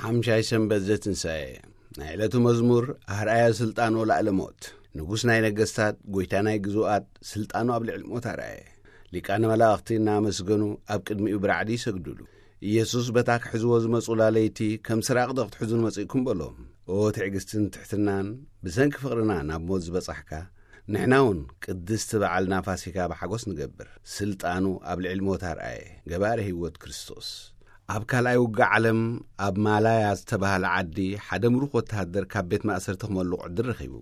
ሓምሻይ ሰንበት ዘትንሳኤ። ናይ ዕለቱ መዝሙር። ኣርኣያ ስልጣኑ ላዕለ ሞት። ንጉስ ናይ ነገስታት፣ ጎይታ ናይ ግዙኣት፣ ስልጣኑ ኣብ ልዕሊ ሞት ኣርኣየ። ሊቃነ መላእኽቲ እናመስገኑ ኣብ ቅድሚኡ ብራዕዲ ይሰግዱሉ። ኢየሱስ በታ ክሕዝዎ ዝመጹላ ለይቲ ከም ስራቕ ዶ ክትሕዙን መጺእኩም በሎም። ኦ ትዕግስትን ትሕትናን፣ ብሰንኪ ፍቕርና ናብ ሞት ዝበጻሕካ፣ ንሕና እውን ቅድስቲ በዓልና ፋሲካ ብሓጎስ ንገብር። ስልጣኑ ኣብ ልዕሊ ሞት ኣርኣየ፣ ገባረ ህይወት ክርስቶስ። ኣብ ካልኣይ ውግእ ዓለም ኣብ ማላያ ዝተባህለ ዓዲ ሓደ ምሩኽ ወተሃደር ካብ ቤት ማእሰርቲ ክመልቕ ዕድል ረኺቡ።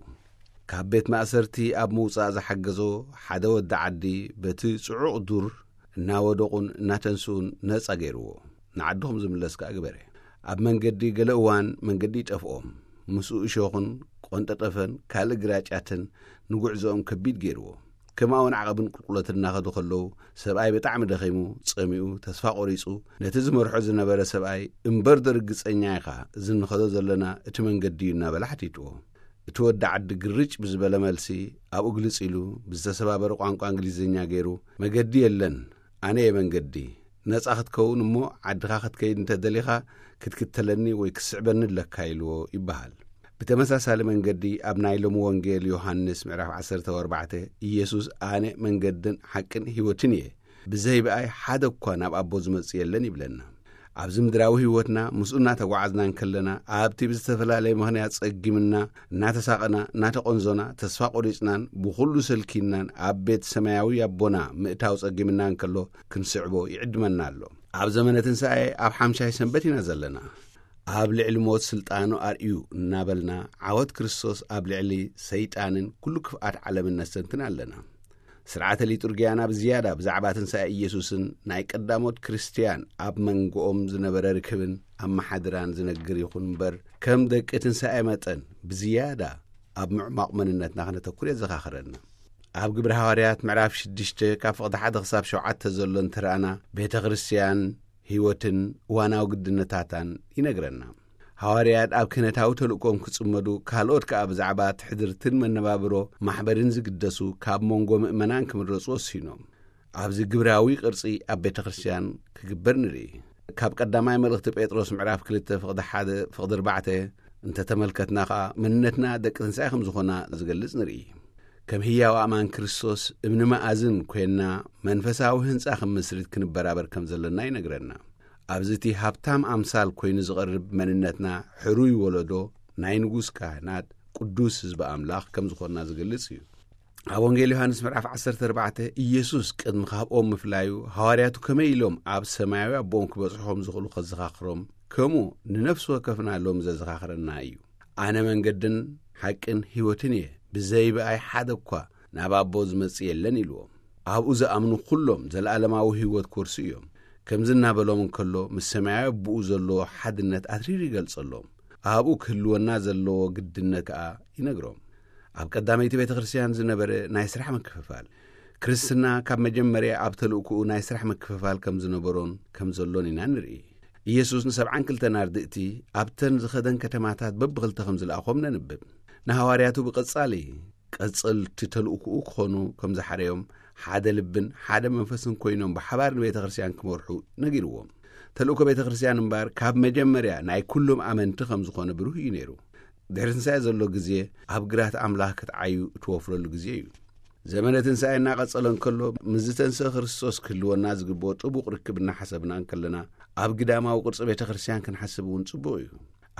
ካብ ቤት ማእሰርቲ ኣብ ምውጻእ ዝሓገዞ ሓደ ወዲ ዓዲ በቲ ጽዑቕ ዱር እናወደቑን እናተንስኡን ነጻ ገይርዎ። ንዓድኹም ዝምለስ ከኣ ግበረ። ኣብ መንገዲ ገለ እዋን መንገዲ ይጠፍኦም። ምስኡ እሾኽን ቆንጠጠፈን ካልእ ግራጫትን ንጉዕዞኦም ከቢድ ገይርዎ። ከምኣ እውን ዓቐብን ቁልቁለትን እናኸዱ ከለዉ ሰብኣይ ብጣዕሚ ደኺሙ፣ ጸሚኡ፣ ተስፋ ቆሪጹ፣ ነቲ ዝመርሖ ዝነበረ ሰብኣይ እምበር ዶ ርግጸኛ ኢኻ እዚ እንኸዶ ዘለና እቲ መንገዲ እዩ እናበለ ሓቲትዎ። እቲ ወዲ ዓዲ ግርጭ ብዝበለ መልሲ ኣብኡ ግልጽ ኢሉ ብዝተሰባበረ ቋንቋ እንግሊዝኛ ገይሩ፣ መገዲ የለን፣ ኣነ እየ መንገዲ፣ ነጻ ክትከውን እሞ ዓድኻ ክትከይድ እንተደሊኻ ክትክተለኒ ወይ ክትስዕበኒ ኣለካ ኢልዎ ይበሃል። ብተመሳሳሊ መንገዲ ኣብ ናይ ሎሚ ወንጌል ዮሃንስ ምዕራፍ ዓሰርተ ኣርባዕተ፣ ኢየሱስ ኣነ መንገድን ሓቅን ህይወትን እየ፣ ብዘይ ብኣይ ሓደ እኳ ናብ ኣቦ ዝመጽእ የለን ይብለና። ኣብዚ ምድራዊ ህይወትና ምስኡ እናተጓዓዝና እንከለና፣ ኣብቲ ብዝተፈላለየ ምኽንያት ጸጊምና፣ እናተሳቐና፣ እናተቖንዞና፣ ተስፋ ቆሪጽናን ብኹሉ ሰልኪናን ኣብ ቤት ሰማያዊ ኣቦና ምእታው ጸጊምና እንከሎ ክንስዕቦ ይዕድመና ኣሎ። ኣብ ዘመነ ትንሳኤ ኣብ ሓምሻይ ሰንበት ኢና ዘለና። ኣብ ልዕሊ ሞት ስልጣኑ ኣርእዩ እናበልና ዓወት ክርስቶስ ኣብ ልዕሊ ሰይጣንን ኩሉ ክፍኣት ዓለምን ነስተንትን ኣለና። ስርዓተ ሊጡርጊያና ብዝያዳ ብዛዕባ ትንሳኤ ኢየሱስን ናይ ቀዳሞት ክርስትያን ኣብ መንጎኦም ዝነበረ ርክብን ኣመሓድራን ዝነግር ይኹን እምበር፣ ከም ደቂ ትንሳኤ መጠን ብዝያዳ ኣብ ምዕማቕ መንነትና ክነተኩር የዘኻኽረና። ኣብ ግብሪ ሃዋርያት ምዕራፍ ሽዱሽተ ካብ ፍቕዲ ሓደ ክሳብ ሸውዓተ ዘሎ እንተረኣና፣ ቤተ ክርስትያን ህይወትን እዋናዊ ግድነታታን ይነግረና። ሃዋርያት ኣብ ክህነታዊ ተልእኮም ክጽመዱ፣ ካልኦት ከኣ ብዛዕባ ትሕድርትን መነባብሮ ማሕበርን ዝግደሱ ካብ መንጎ ምእመናን ክምረጹ ወሲኖም። ኣብዚ ግብራዊ ቅርጺ ኣብ ቤተ ክርስትያን ክግበር ንርኢ። ካብ ቀዳማይ መልእኽቲ ጴጥሮስ ምዕራፍ ክልተ ፍቕዲ ሓደ ፍቕዲ ኣርባዕተ እንተተመልከትና ከኣ፣ መንነትና ደቂ ትንሳኤ ከም ዝኾና ዝገልጽ ንርኢ። ከም ህያው ኣማን ክርስቶስ እምኒ መኣዝን ኮይንና መንፈሳዊ ህንጻ ከም መስሪት ክንበራበር ከም ዘለና ይነግረና። ኣብዚ እቲ ሃብታም ኣምሳል ኮይኑ ዝቐርብ መንነትና፣ ሕሩይ ወለዶ፣ ናይ ንጉስ ካህናት፣ ቅዱስ ህዝቢ ኣምላኽ ከም ዝኾንና ዝገልጽ እዩ። ኣብ ወንጌል ዮሃንስ ምዕራፍ ዓሰርተ ኣርባዕተ፣ ኢየሱስ ቅድሚ ካብኦም ምፍላዩ፣ ሃዋርያቱ ከመይ ኢሎም ኣብ ሰማያዊ ኣቦኦም ክበጽሑ ከም ዝኽእሉ ከዘኻኽሮም፣ ከምኡ ንነፍሲ ወከፍና ሎሚ ዘዘኻኽረና እዩ። ኣነ መንገድን ሓቅን ህይወትን እየ፣ ብዘይ ብኣይ ሓደ እኳ ናብ ኣቦ ዝመጽእ የለን ኢልዎም። ኣብኡ ዝኣምኑ ኩሎም ዘለኣለማዊ ህይወት ክወርሱ እዮም። ከምዚ እናበሎም እንከሎ፣ ምስ ሰማያዊ ኣቦኡ ዘለዎ ሓድነት ኣትሪሩ ይገልጸሎም። ኣብኡ ክህልወና ዘለዎ ግድነት ከኣ ይነግሮም። ኣብ ቀዳመይቲ ቤተ ክርስትያን ዝነበረ ናይ ስራሕ ምክፍፋል። ክርስትና ካብ መጀመርያ ኣብ ተልእኮኡ ናይ ስራሕ ምክፍፋል ከም ዝነበሮን ከም ዘሎን ኢና ንርኢ። ኢየሱስ ንሰብዓን ክልተን ኣርድእቲ ኣብተን ዝኸደን ከተማታት በብኽልተ ከም ዝለኣኾም ነንብብ። ንሃዋርያቱ ብቐጻሊ ቀጸልቲ ተልእኮኡ ክኾኑ ከም ዝሓረዮም፣ ሓደ ልብን ሓደ መንፈስን ኮይኖም ብሓባር ንቤተ ክርስትያን ክመርሑ ነጊርዎም። ተልእኮ ቤተ ክርስትያን እምበኣር ካብ መጀመርያ ናይ ኩሎም ኣመንቲ ከም ዝኾነ ብሩህ እዩ ነይሩ። ድሕሪ ትንሳኤ ዘሎ ግዜ ኣብ ግራት ኣምላኽ ክትዓዩ እትወፍረሉ ግዜ እዩ። ዘመነ ትንሳኤ እናቐጸለ እንከሎ፣ ምስ ዝተንስአ ክርስቶስ ክህልወና ዝግብኦ ጥቡቕ ርክብ እናሓሰብና እንከለና፣ ኣብ ግዳማዊ ቅርጺ ቤተ ክርስትያን ክንሓስብ እውን ጽቡቕ እዩ።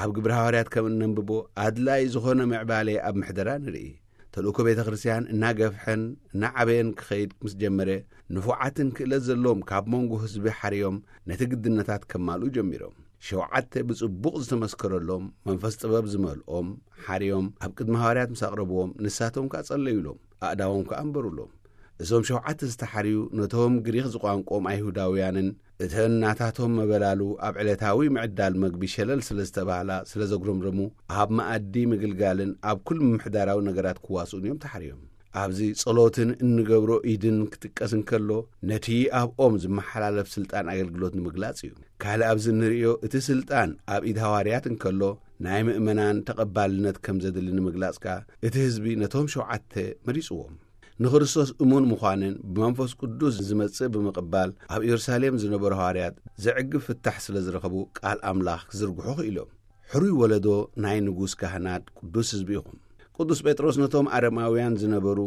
ኣብ ግብሪ ሃዋርያት ከም እነንብቦ፣ ኣድላዪ ዝኾነ ምዕባለ ኣብ ምሕደራ ንርኢ። ተልእኮ ቤተ ክርስትያን እናገፍሐን እናዓበየን ክኸይድ ምስ ጀመረ፣ ንፉዓትን ክእለት ዘለዎም ካብ መንጎ ህዝቢ ሓርዮም ነቲ ግድነታት ከማልኡ ጀሚሮም። ሸውዓተ ብጽቡቕ ዝተመስከረሎም፣ መንፈስ ጥበብ ዝመልኦም ሓርዮም ኣብ ቅድሚ ሃዋርያት ምስ ኣቕረብዎም፣ ንሳቶም ከኣ ጸለዩሎም፣ ኣእዳዎም ከኣ ኣንበሩሎም። እዞም ሸውዓተ ዝተሓርዩ ነቶም ግሪኽ ዝቋንቆም ኣይሁዳውያንን እተን ናታቶም መበላሉ ኣብ ዕለታዊ ምዕዳል መግቢ ሸለል ስለ ዝተባህላ ስለ ዘጉረምረሙ፣ ኣብ መኣዲ ምግልጋልን ኣብ ኩሉ ምምሕዳራዊ ነገራት ክዋስኡን እዮም ተሓርዮም። ኣብዚ ጸሎትን እንገብሮ ኢድን ክጥቀስ እንከሎ፣ ነቲ ኣብኦም ዝመሓላለፍ ስልጣን ኣገልግሎት ንምግላጽ እዩ። ካልእ ኣብዚ እንርእዮ፣ እቲ ስልጣን ኣብ ኢድ ሃዋርያት እንከሎ፣ ናይ ምእመናን ተቐባልነት ከም ዘድሊ ንምግላጽ ከኣ፣ እቲ ህዝቢ ነቶም ሸውዓተ መሪጽዎም። ንክርስቶስ እሙን ምዃንን ብመንፈስ ቅዱስ ዝመጽእ ብምቕባል ኣብ ኢየሩሳሌም ዝነበሩ ሃዋርያት ዘዕግብ ፍታሕ ስለ ዝረኸቡ ቃል ኣምላኽ ክዝርግሑ ክኢሎም። ሕሩይ ወለዶ ናይ ንጉስ ካህናት ቅዱስ ህዝቢ ኢኹም። ቅዱስ ጴጥሮስ ነቶም ኣረማውያን ዝነበሩ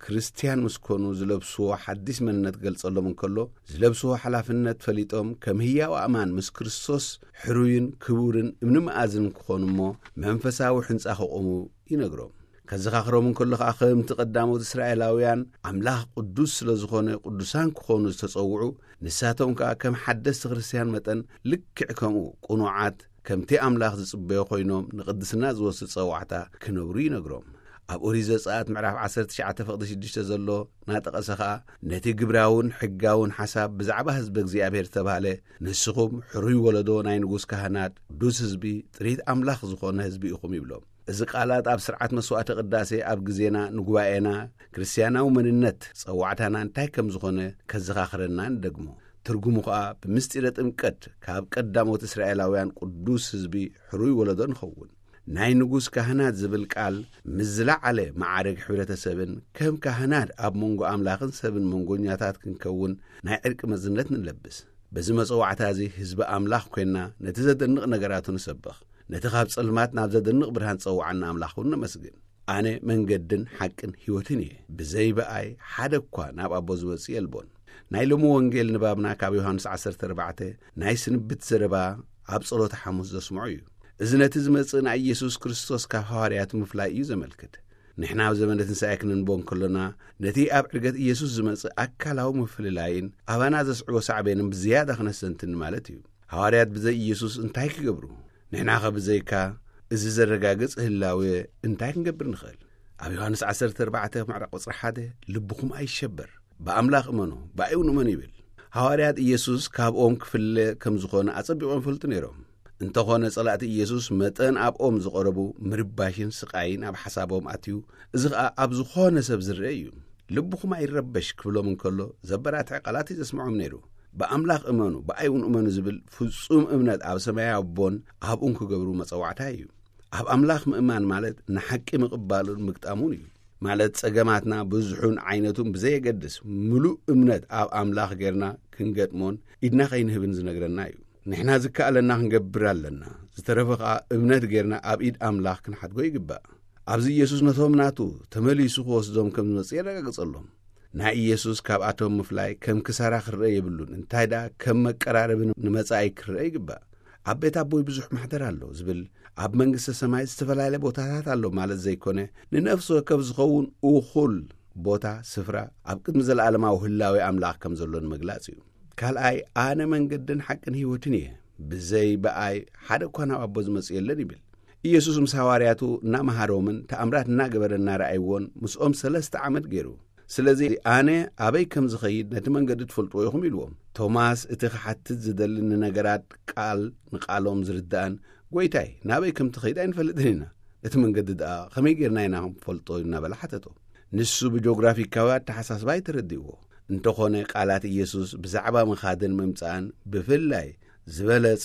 ክርስትያን ምስ ኮኑ ዝለብስዎ ሓዲስ መንነት ገልጸሎም እንከሎ፣ ዝለብስዎ ሓላፍነት ፈሊጦም ከም ህያው ኣእማን ምስ ክርስቶስ ሕሩይን ክቡርን እምኒ መኣዝን ክኾኑ እሞ መንፈሳዊ ሕንጻ ክቖሙ ይነግሮም። ከዘኻኽሮም እንከሎ ኸኣ ከምቲ ቀዳሞት እስራኤላውያን ኣምላኽ ቅዱስ ስለ ዝኾነ ቅዱሳን ክኾኑ ዝተጸውዑ፣ ንሳቶም ከኣ ከም ሓደስቲ ክርስትያን መጠን ልክዕ ከምኡ ቅኑዓት ከምቲ ኣምላኽ ዝጽበዮ ኮይኖም ንቕድስና ዝወስድ ጸዋዕታ ክነብሩ ይነግሮም። ኣብ ኦሪት ዘጸኣት ምዕራፍ ዓሰርተ ትሽዓተ ፍቕዲ ሽዱሽተ ዘሎ ናጠቐሰ ኸኣ ነቲ ግብራውን ሕጋውን ሓሳብ ብዛዕባ ህዝቢ እግዚኣብሔር ዝተባህለ ንስኹም ሕሩይ ወለዶ ናይ ንጉስ ካህናት ቅዱስ ህዝቢ ጥሪት ኣምላኽ ዝኾነ ህዝቢ ኢኹም ይብሎም። እዚ ቃላት ኣብ ስርዓት መስዋዕተ ቅዳሴ ኣብ ግዜና ንጉባኤና ክርስትያናዊ መንነት ጸዋዕታና እንታይ ከም ዝኾነ ከዘኻኽረና ንደግሞ። ትርጉሙ ኸኣ ብምስጢረ ጥምቀት ካብ ቀዳሞት እስራኤላውያን ቅዱስ ህዝቢ ሕሩይ ወለዶ ንኸውን። ናይ ንጉስ ካህናት ዝብል ቃል ምስ ዝለዓለ መዓርግ ሕብረተሰብን ከም ካህናት ኣብ መንጎ ኣምላኽን ሰብን መንጎኛታት ክንከውን ናይ ዕርቂ መዝነት ንለብስ። በዚ መጸዋዕታ እዚ ህዝቢ ኣምላኽ ኮይና ነቲ ዘደንቕ ነገራቱ ንሰብኽ። ነቲ ካብ ጸልማት ናብ ዘደንቕ ብርሃን ጸውዓና ኣምላኽ እውን ነመስግን። ኣነ መንገድን ሓቅን ህይወትን እየ። ብዘይ ብኣይ ሓደ እኳ ናብ ኣቦ ዝመጽእ የልቦን። ናይ ሎሚ ወንጌል ንባብና ካብ ዮሃንስ ዓሰርተ ኣርባዕተ ናይ ስንብት ዘረባ ኣብ ጸሎተ ሓሙስ ዘስምዖ እዩ። እዚ ነቲ ዝመጽእ ናይ ኢየሱስ ክርስቶስ ካብ ሃዋርያቱ ምፍላይ እዩ ዘመልክት። ንሕና ኣብ ዘመነ ትንሳኤ ክንንቦ እንከሎና፣ ነቲ ኣብ ዕርገት ኢየሱስ ዝመጽእ ኣካላዊ ምፍልላይን ኣባና ዘስዕቦ ሳዕቤንን ብዝያዳ ክነስተንትን ማለት እዩ። ሃዋርያት ብዘይ ኢየሱስ እንታይ ክገብሩ? ንሕናኸ ብዘይካ እዚ ዘረጋግጽ ህላዌ እንታይ ክንገብር ንኽእል? ኣብ ዮሃንስ ዓሰርተ ኣርባዕተ ምዕራፍ ቁጽሪ ሓደ፣ "ልብኹም ኣይሸበር፣ ብኣምላኽ እመኑ፣ ብኣይ እውን እመኑ" ይብል። ሃዋርያት ኢየሱስ ካብ ኦም ክፍለ ከም ዝኾነ ኣጸቢቖም ይፈልጡ ነይሮም። እንተኾነ ጸላእቲ ኢየሱስ መጠን ኣብ ኦም ዝቐረቡ ምርባሽን ስቓይን ኣብ ሓሳቦም ኣትዩ፣ እዚ ኸኣ ኣብ ዝኾነ ሰብ ዝረአ እዩ። "ልብኹም ኣይረበሽ" ክብሎም እንከሎ ዘበራትዕ ቃላት እዩ ዘስምዖም ነይሩ። "ብኣምላኽ እመኑ፣ ብኣይ እውን እመኑ" ዝብል ፍጹም እምነት ኣብ ሰማያዊ ኣቦን ኣብኡን ክገብሩ መጸዋዕታ እዩ። ኣብ ኣምላኽ ምእማን ማለት ንሓቂ ምቕባሉን ምግጣሙን እዩ። ማለት ጸገማትና ብዙሑን ዓይነቱን ብዘየገድስ ምሉእ እምነት ኣብ ኣምላኽ ጌርና ክንገጥሞን ኢድና ከይንህብን ዝነግረና እዩ። ንሕና ዝከኣለና ክንገብር ኣለና። ዝተረፈ ኸኣ እምነት ጌርና ኣብ ኢድ ኣምላኽ ክንሓድጎ ይግባእ። ኣብዚ ኢየሱስ ነቶም ናቱ ተመሊሱ ክወስዶም ከም ዝመጽእ የረጋግጸሎም። ናይ ኢየሱስ ካብኣቶም ምፍላይ ከም ክሳራ ክረአ የብሉን፣ እንታይ ደኣ ከም መቀራረቢ ንመጻኢ ክረአ ይግባእ። "ኣብ ቤት ኣቦይ ብዙሕ ማሕደር ኣሎ" ዝብል ኣብ መንግስተ ሰማይ ዝተፈላለየ ቦታታት ኣሎ ማለት ዘይኮነ፣ ንነፍሲ ወከፍ ዝኸውን እኹል ቦታ፣ ስፍራ፣ ኣብ ቅድሚ ዘለኣለማዊ ህላዌ ኣምላኽ ከም ዘሎ ንምግላጽ እዩ። ካልኣይ፣ "ኣነ መንገድን ሓቅን ህይወትን እየ፣ ብዘይ ብኣይ ሓደ እኳ ናብ ኣቦ ዝመጽእ የለን" ይብል። ኢየሱስ ምስ ሃዋርያቱ እናመሃሮምን ተኣምራት እናገበረ እናረኣይዎን ምስኦም ሰለስተ ዓመት ገይሩ። ስለዚ ኣነ ኣበይ ከም ዝኸይድ ነቲ መንገዲ ትፈልጥዎ ኢኹም ኢልዎም። ቶማስ እቲ ክሓትት ዝደሊ ንነገራት ቃል ንቃሎም ዝርዳእን፣ "ጐይታይ፣ ናበይ ከም ትኸይድ ኣይንፈልጥን ኢና። እቲ መንገዲ ደኣ ከመይ ጌርና ኢና ክንፈልጦ?" እናበለ ሓተቶ። ንሱ ብጆግራፊካዊ ኣተሓሳስባ እዩ ተረዲእዎ። እንተኾነ ቃላት ኢየሱስ ብዛዕባ ምኻድን ምምጻእን ብፍላይ ዝበለጸ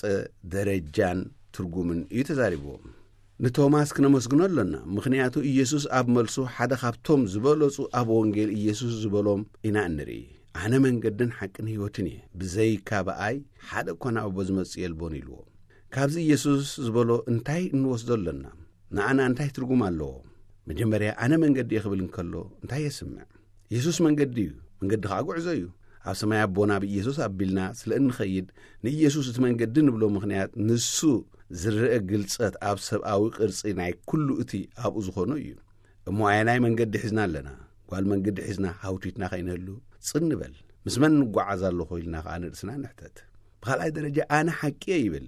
ደረጃን ትርጉምን እዩ ተዛሪብዎም። ንቶማስ ክነመስግኖ ኣሎና፣ ምኽንያቱ ኢየሱስ ኣብ መልሱ ሓደ ካብቶም ዝበለጹ ኣብ ወንጌል ኢየሱስ ዝበሎም ኢና እንርኢ። "ኣነ መንገድን ሓቅን ህይወትን እየ፣ ብዘይካ ብኣይ ሓደ እኳ ናብ ኣቦ ዝመጽእ የልቦን" ኢልዎ። ካብዚ ኢየሱስ ዝበሎ እንታይ እንወስዶ ኣሎና? ንኣና እንታይ ትርጉም ኣለዎ? መጀመርያ "ኣነ መንገዲ እየ" ክብል እንከሎ እንታይ የስምዕ? ኢየሱስ መንገዲ እዩ፣ መንገዲ ኸኣ ጉዕዞ እዩ። ኣብ ሰማይ ኣቦና ብኢየሱስ ኣቢልና ስለ እንኸይድ ንኢየሱስ እቲ መንገዲ ንብሎ ምኽንያት ንሱ ዝረአ ግልጸት ኣብ ሰብኣዊ ቅርጺ ናይ ኩሉ እቲ ኣብኡ ዝኾኖ እዩ። እሞ ኣየናይ መንገዲ ሒዝና ኣለና? ጓል መንገዲ ሒዝና ሃውቲትና ከይንህሉ ጽን ንበል። ምስ መን ንጓዓዝ ኣለኹ ኢልና ኸኣ ንርእስና ንሕተት። ብኻልኣይ ደረጃ "ኣነ ሓቂ እየ" ይብል።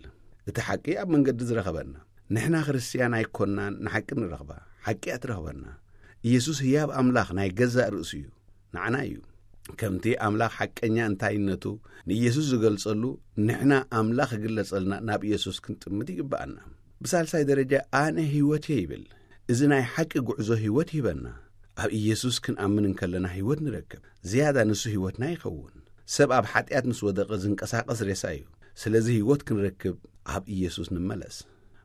እቲ ሓቂ ኣብ መንገዲ ዝረኸበና። ንሕና ክርስትያን ኣይኮናን ንሓቂ ንረኽባ፣ ሓቂ እያ ትረኽበና። ኢየሱስ ህያብ ኣምላኽ ናይ ገዛእ ርእሱ እዩ፣ ንዓና እዩ። ከምቲ ኣምላኽ ሓቀኛ እንታይነቱ ንኢየሱስ ዝገልጸሉ፣ ንሕና ኣምላኽ ክግለጸልና ናብ ኢየሱስ ክንጥምት ይግብኣና። ብሳልሳይ ደረጃ "ኣነ ህይወት እየ" ይብል። እዚ ናይ ሓቂ ጉዕዞ ህይወት ይህበና። ኣብ ኢየሱስ ክንኣምን እንከለና ህይወት ንረክብ። ዝያዳ ንሱ ህይወትና ይኸውን። ሰብ ኣብ ሓጢኣት ምስ ወደቐ ዝንቀሳቐስ ሬሳ እዩ። ስለዚ ህይወት ክንረክብ ኣብ ኢየሱስ ንመለስ።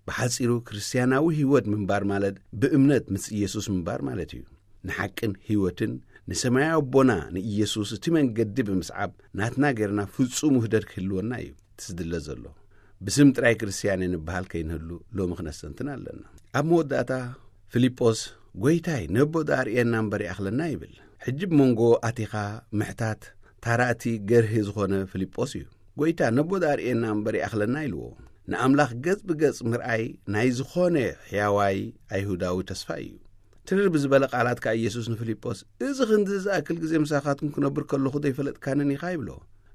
ብሓጺሩ ክርስትያናዊ ህይወት ምንባር ማለት ብእምነት ምስ ኢየሱስ ምንባር ማለት እዩ። ንሓቅን ህይወትን ንሰማያዊ ኣቦና ንኢየሱስ እቲ መንገዲ ብምስዓብ ናትና ጌርና ፍጹም ውህደት ክህልወና እዩ እቲ ዝድለ ዘሎ። ብስም ጥራይ ክርስትያን ንበሃል ከይንህሉ ሎሚ ክነስተንትን ኣለና። ኣብ መወዳእታ ፊልጶስ፣ "ጐይታይ፣ ነቦ ደኣ ኣርእየና እምበር ይኣኽለና" ይብል። ሕጂ ብመንጎ ኣቲኻ ምሕታት ታራእቲ ገርሂ ዝኾነ ፊልጶስ እዩ። "ጐይታ፣ ነቦ ደኣ ኣርእየና እምበር ይኣኽለና" ኢልዎ። ንኣምላኽ ገጽ ብገጽ ምርኣይ ናይ ዝኾነ ሕያዋይ ኣይሁዳዊ ተስፋ እዩ። ትርር ብዝበለ ቃላት ከኣ ኢየሱስ ንፊልጶስ፣ "እዚ ክንዲ ዝኣክል ግዜ ምሳኻትኩም ክነብር ከለኹ ዘይፈለጥካንን ኢኻ?" ይብሎ።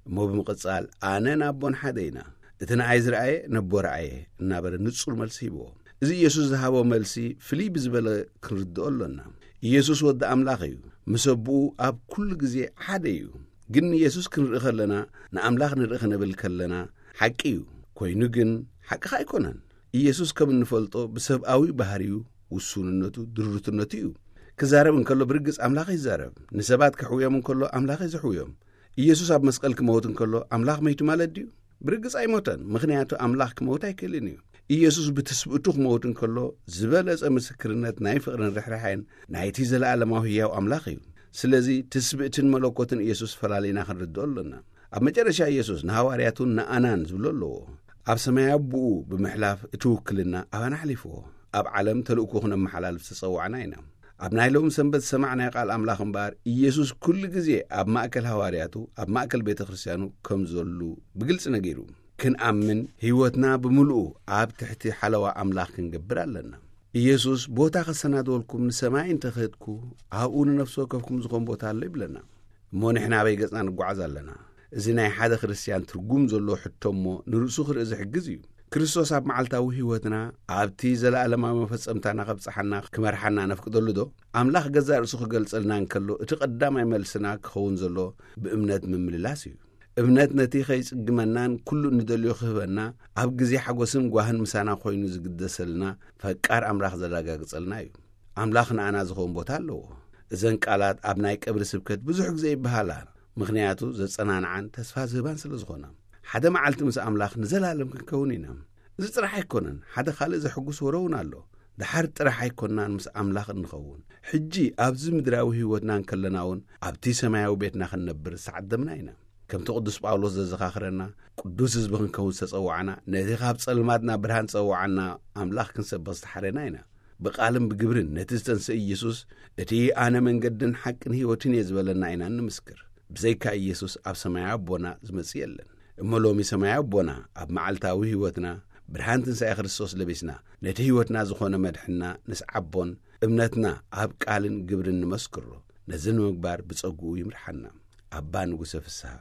እሞ ብምቕጻል፣ "ኣነን ኣቦን ሓደ ኢና። እቲ ንኣይ ዝረኣየ ነቦ ረኣየ" እናበለ ንጹር መልሲ ሂብዎ። እዚ ኢየሱስ ዝሃቦ መልሲ ፍልይ ብዝበለ ክንርድኦ ኣሎና። ኢየሱስ ወዲ ኣምላኽ እዩ። ምስ ኣቦኡ ኣብ ኩሉ ግዜ ሓደ እዩ። ግን ንኢየሱስ ክንርኢ ከለና፣ ንኣምላኽ ንርኢ ክንብል ከለና፣ ሓቂ እዩ። ኮይኑ ግን ሓቂ ከኣ ኣይኮነን። ኢየሱስ ከም እንፈልጦ ብሰብኣዊ ባህሪኡ፣ ውሱንነቱ፣ ድሩትነቱ እዩ። ክዛረብ እንከሎ ብርግጽ ኣምላኽ ይዛረብ። ንሰባት ክሕውዮም እንከሎ ኣምላኽ እዩ ዘሕውዮም። ኢየሱስ ኣብ መስቀል ክመውት እንከሎ ኣምላኽ መይቱ ማለት ድዩ? ብርግጽ ኣይሞተን፣ ምኽንያቱ ኣምላኽ ክመውት ኣይክእልን እዩ። ኢየሱስ ብትስብእቱ ክመውት እንከሎ ዝበለጸ ምስክርነት ናይ ፍቕርን ርሕራሐን ናይቲ ዘለኣለማዊ ህያው ኣምላኽ እዩ። ስለዚ ትስብእትን መለኮትን ኢየሱስ ፈላሊና ክንርድኦ ኣሎና። ኣብ መጨረሻ ኢየሱስ ንሃዋርያቱን ንኣናን ዝብሎ ኣለዎ። ኣብ ሰማይ ኣቦኡ ብምሕላፍ እቲ ውክልና ኣባና ኣሕሊፍዎ። ኣብ ዓለም ተልእኮ ክነመሓላልፍ ዝተጸዋዕና ኢና። ኣብ ናይ ሎም ሰንበት ዝሰማዕናዮ ቃል ኣምላኽ እምበኣር፣ ኢየሱስ ኩሉ ግዜ ኣብ ማእከል ሃዋርያቱ፣ ኣብ ማእከል ቤተ ክርስትያኑ ከም ዘሉ ብግልጺ ነጊሩ። ክንኣምን፣ ህይወትና ብምሉኡ ኣብ ትሕቲ ሓለዋ ኣምላኽ ክንገብር ኣለና። ኢየሱስ፣ "ቦታ ከሰናድወልኩም ንሰማይ እንተ ኸድኩ፣ ኣብኡ ንነፍሲ ወከፍኩም ዝኾን ቦታ ኣሎ" ይብለና። እሞ ንሕና ኣበይ ገጽና ንጓዓዝ ኣለና? እዚ ናይ ሓደ ክርስትያን ትርጉም ዘለዎ ሕቶ እሞ ንርእሱ ክርኢ ዝሕግዝ እዩ። ክርስቶስ ኣብ መዓልታዊ ህይወትና ኣብቲ ዘለኣለማዊ መፈጸምታና ከብጽሓና ክመርሓና ነፍቅደሉ ዶ? ኣምላኽ ገዛእ ርእሱ ክገልጸልና እንከሎ እቲ ቀዳማይ መልስና ክኸውን ዘሎ ብእምነት ምምልላስ እዩ። እምነት ነቲ ከይጽግመናን ኩሉ እንደልዮ ክህበና ኣብ ግዜ ሓጎስን ጓህን ምሳና ኮይኑ ዝግደሰልና ፈቃር ኣምላኽ ዘረጋግጸልና እዩ። ኣምላኽ ንኣና ዝኸውን ቦታ ኣለዎ። እዘን ቃላት ኣብ ናይ ቀብሪ ስብከት ብዙሕ ግዜ ይበሃላ፣ ምኽንያቱ ዘጸናንዓን ተስፋ ዝህባን ስለ ዝኾና። ሓደ መዓልቲ ምስ ኣምላኽ ንዘላለም ክንከውን ኢና። እዚ ጥራሕ ኣይኮነን፣ ሓደ ካልእ ዘሕጉስ ወረ እውን ኣሎ። ደሓር ጥራሕ ኣይኮንናን ምስ ኣምላኽ እንኸውን። ሕጂ ኣብዚ ምድራዊ ህይወትና እንከለና እውን ኣብቲ ሰማያዊ ቤትና ክንነብር ዝተዓደምና ኢና። ከምቲ ቅዱስ ጳውሎስ ዘዘኻኽረና፣ ቅዱስ ህዝቢ ክንከውን ዝተጸዋዕና፣ ነቲ ካብ ጸልማት ናብ ብርሃን ዝጸዋዓና ኣምላኽ ክንሰብኽ ዝተሓረና ኢና። ብቓልን ብግብርን ነቲ ዝተንስአ ኢየሱስ፣ "እቲ ኣነ መንገድን ሓቅን ህይወትን እየ" ዝበለና ኢና እንምስክር። ብዘይካ ኢየሱስ ኣብ ሰማያዊ ኣቦና ዝመጽእ የለን። እሞ ሎሚ ሰማያዊ ኣቦና ኣብ መዓልታዊ ህይወትና ብርሃን ትንሳኤ ክርስቶስ ለቢስና፣ ነቲ ህይወትና ዝኾነ መድሕንና ንስዓቦን እምነትና ኣብ ቃልን ግብርን ንመስክሮ። ነዚ ንምግባር ብጸግኡ ይምርሓና። ኣባ ንጉሰ ፍስሃ።